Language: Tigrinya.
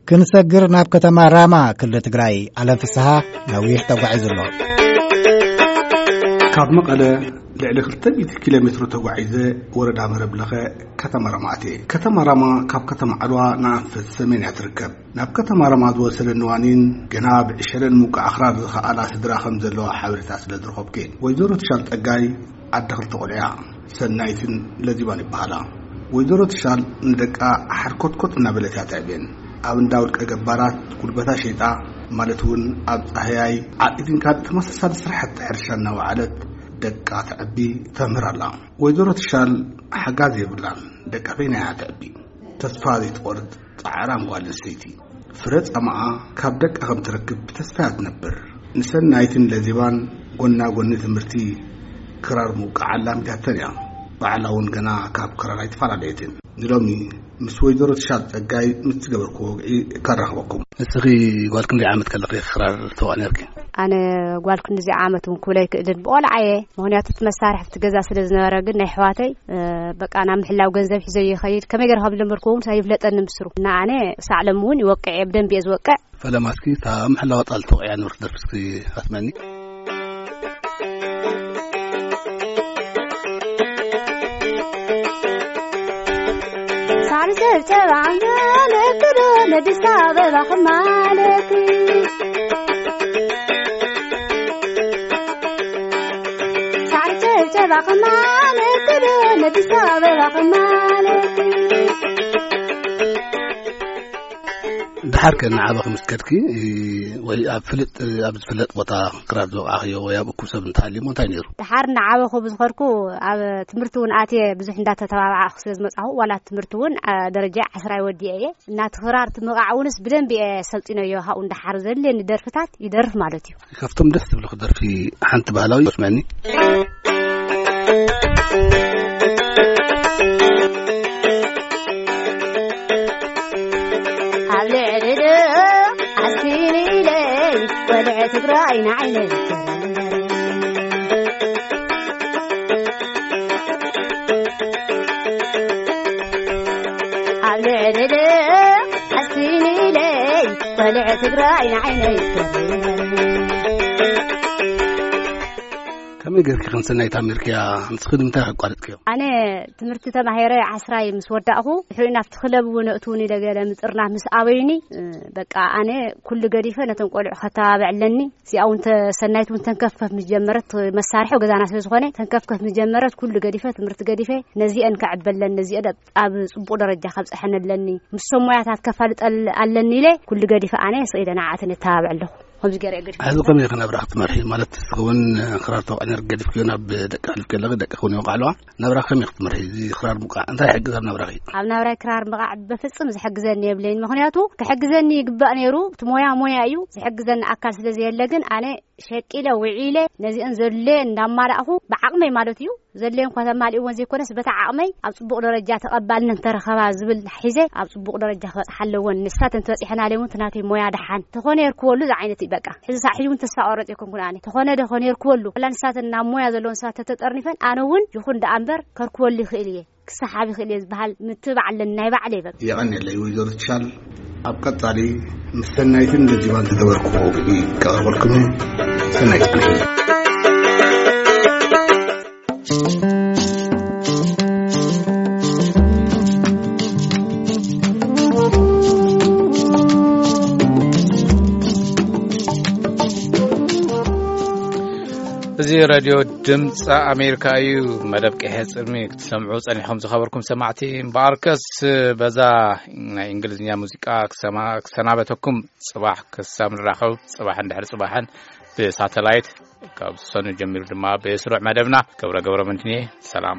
ክንሰግር ናብ ከተማ ራማ ክልል ትግራይ ኣለም ፍስሃ ነዊሕ ተጓዒዙ ኣሎ። ካብ መቐለ ልዕሊ ክልተ ሚእቲ ኪሎ ሜትሮ ተጓዒዘ ወረዳ መረብ ለኸ ከተማ ራማ ኣትየ። ከተማ ራማ ካብ ከተማ ዓድዋ ንኣንፈት ሰሜን እያ ትርከብ። ናብ ከተማ ራማ ዝወሰደኒ ዋኒን ገና ብዕሸለን ምውቃዕ ኣኽራር ዝኸኣላ ስድራ ከም ዘለዋ ሓበሬታ ስለ ዝረኸብኩ እየ። ወይዘሮ ትሻል ጸጋይ ዓዲ ክልተ ቆልዑ እያ። ሰናይትን ለዚባን ይበሃላ። ወይዘሮ ትሻል ንደቃ ሓርኮትኮት እናበለት እያ ተዕብየን። ኣብ እንዳ ውልቀ ገባራት ጉልበታ ሸይጣ፣ ማለት እውን ኣብ ጻህያይ፣ ዓጢትን ካልእ ተመሳሳሊ ስራሕቲ ሕርሻ እናወዓለት ደቃ ተዕቢ ተምህር ኣላ። ወይዘሮ ትሻል ሓጋዝ የብላን፣ ደቃ በይና እያ ተዕቢ። ተስፋ ዘይትቆርጽ ጻዕራም ጓል ኣንስተይቲ። ፍረ ጻማኣ ካብ ደቃ ከም ትረክብ ብተስፋ እያ ትነብር። ንሰናይትን ለዚባን ጎና ጎኒ ትምህርቲ ክራር ምውቃዕ ኣላሚዳተን እያ። ባዕላ እውን ገና ካብ ክራር ኣይተፈላለየትን። ንሎሚ ምስ ወይዘሮ ትሻል ጸጋይ ምስ ዝገበርኩዎ ወግዒ ከራኽበኩም። ንስኺ ጓል ክንደይ ዓመት ከለኺ ክራር ተዋእ ነርኪ? ኣነ ጓል ክንዲዚ ዓመት እውን ክብለ ኣይክእልን። ብቆልዓ እየ። ምኽንያቱ እቲ መሳርሒ ኣብቲ ገዛ ስለ ዝነበረ፣ ግን ናይ ኣሕዋተይ፣ እ፣ በቃ ናብ ምሕላው ገንዘብ ሒዘ ይኸይድ። ከመይ ገይረ ከም ዝለመድኩ እውን ኣይፍለጠኒ ምስሩ። እና ኣነ ክሳዕ ሎሚ እውን ይወቅዕ እየ፣ ብደንቢ እየ ዝወቅዕ። ፈለማ እስኪ እታ ምሕላው ኣጣል ተወቂዓ ንብረት ደርፊ እስኪ ኣስመኒ። ሳር ጨብጨባ ማለት ዶ ነዲስ ኣበባ ማለት? ሳር ጨብጨባ ማለት ዶ ነዲስ ኣበባ ማለት? ድሓር ከ ንዓበኺ ምስ ከድኪ፣ ወይ ኣብ ፍልጥ፣ ኣብ ዝፍለጥ ቦታ ክራር ዝወቃዕኽዮ ወይ ኣብ እኩብ ሰብ እንተሃልዩሞ እንታይ ነይሩ? ድሓር እናዓበኹ ብዝኸድኩ ኣብ ትምህርቲ እውን ኣትየ ብዙሕ እንዳተተባባዕኹ ስለ ዝመጻኹ፣ ዋላ ትምህርቲ እውን፣ አ፣ ደረጃ ዓስራይ ወዲኤ እየ። እናቲ ክራር ትምቓዕ እውንስ ብደንቢ እየ ሰልጢነዮ። ካብኡ እንዳሓር ዘድልየኒ ደርፍታት ይደርፍ ማለት እዩ። ካብቶም ደስ ዝብልኹ ደርፊ ሓንቲ ባህላዊ ስመኒ። ኣብ ልዕሊ ዶ ዓስኪኒ ኢለይ ወልዐ ትግራይ ንዓይነይ ኣብ ልዕሊ ዶ ዓስኪኒ ኢለይ ወልዐ ትግራይ ንዓይነይ ከመይ ጌርኪ ክንሰናይ ታሚርክያ? ንስኺ ንምንታይ ኣቋሪጥክዮ? ኣነ ትምህርቲ ተማሂረ ዓስራይ ምስ ወዳእኹ፣ ድሕሪኡ ናብቲ ክለብ እውን እእትውኒ ኢለ ገለ ምጥርናፍ ምስ ኣበዩኒ፣ እ፣ በቃ ኣነ ኩሉ ገዲፈ ነቶም ቆልዑ ከተባብዕ ኣለኒ። እዚኣ እውን ተ-፣ ሰናይት እውን ተንከፍከፍ ምስ ጀመረት፣ መሳርሒ ገዛና ስለ ዝኾነ ተንከፍከፍ ምስ ጀመረት፣ ኩሉ ገዲፈ፣ ትምህርቲ ገዲፈ፣ ነዚአን ከዕበለን፣ ነዚአን ኣብ፣ ኣብ ጽቡቕ ደረጃ ከብጽሐን ኣለኒ። ምስቶም ሞያታት ከፋልጠል ኣለኒ ኢለ ኩሉ ገዲፈ ኣነ ስኢለ ንዓኣተን የተባብዕ ኣለኹ። ከምዚ ገይረ እየ ገዲፈ። ሕዚ ከመይ ኢኺ ናብራ ክትመርሒ? ማለት፣ እስኺ እውን ክራር ተወቃዕኒ ገዲፍክዮ ናብ ደቂ ኣሕሊፍኪ ኣለኺ፣ ደቂ እውን ይወቃዕ ኣለዋ። ናብራ ከመይ ክትመርሒ? እዚ ክራር ምውቃዕ እንታይ ይሕግዝ ኣብ ናብራኺ? ኣብ ናብራይ ክራር ምውቃዕ በፍጽም ዝሕግዘኒ የብለይን። ምኽንያቱ ክሕግዘኒ ይግባእ ነይሩ። እቲ ሞያ ሞያ እዩ። ዝሕግዘኒ ኣካል ስለ ዘየለ ግን ኣነ ሸቂለ ውዒለ ነዚአን ዘድልየ እንዳማላእኹ ብዓቕመይ ማለት እዩ። ዘድልየን እኳ ተማሊእወን ዘይኮነስ በታ ዓቕመይ ኣብ ጽቡቕ ደረጃ ተቐባልነት እንተረኸባ ዝብል ሒዘ ኣብ ጽቡቕ ደረጃ ክበጽሓ ኣለወን። ንሳተን ተበጺሐናለይ እውን እቲ ናተይ ሞያ ደሓን ተኾነ የርክበሉ ዝዓይነት እዩ በቃ። ሕዚ ሳዕ ሕጂ እውን ተስፋ ቆረጽ ኣይኮንኩን ኣነ። ተኾነ ዶ ኾነ የርክበሉ። ዋላ ንሳተን ናብ ሞያ ዘለወን ሰባት ተተጠርኒፈን ኣነ እውን ይኹን ደኣ እምበር ከርክበሉ ይኽእል እየ። ክሰሓብ ይኽእል እየ ዝበሃል ምትብባዕ ኣለኒ ናይ ባዕለይ በቃ። የቐንየለይ ወይዘሮ ትሻል። ኣብ ቀጻሊ ምስ ሰናይትን ለዚባን ዝገበርኩዎ ውግኢ ከቕርበልኩም እየ። ሰናይ ጽንሒ። እዚ ሬድዮ ድምፂ ኣሜሪካ እዩ። መደብ ቀይሕ ጽልሚ ክትሰምዑ ጸኒሕኩም ዝኸበርኩም ሰማዕቲ፣ እምበኣርከስ በዛ ናይ እንግሊዝኛ ሙዚቃ ክሰማ-፣ ክሰናበተኩም። ጽባሕ ክሳብ ንራኸብ፣ ጽባሕን ድሕሪ ጽባሕን ብሳተላይት ካብ ሰኑ ጀሚሩ ድማ ብስሩዕ መደብና ገብረ ገብረ መድህን እየ። ሰላም።